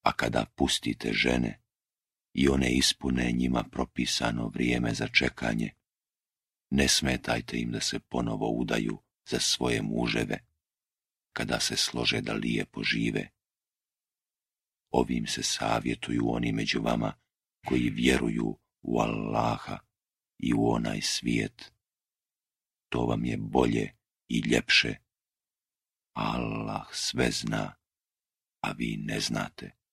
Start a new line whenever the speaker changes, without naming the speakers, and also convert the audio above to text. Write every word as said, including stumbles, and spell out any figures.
A kada pustite žene i one ispune njima propisano vrijeme za čekanje, ne smetajte im da se ponovo udaju za svoje muževe, kada se slože da lijepo žive. Ovim se savjetuju oni među vama koji vjeruju u Allaha i u onaj svijet. To vam je bolje i ljepše. Allah sve zna, a vi ne znate.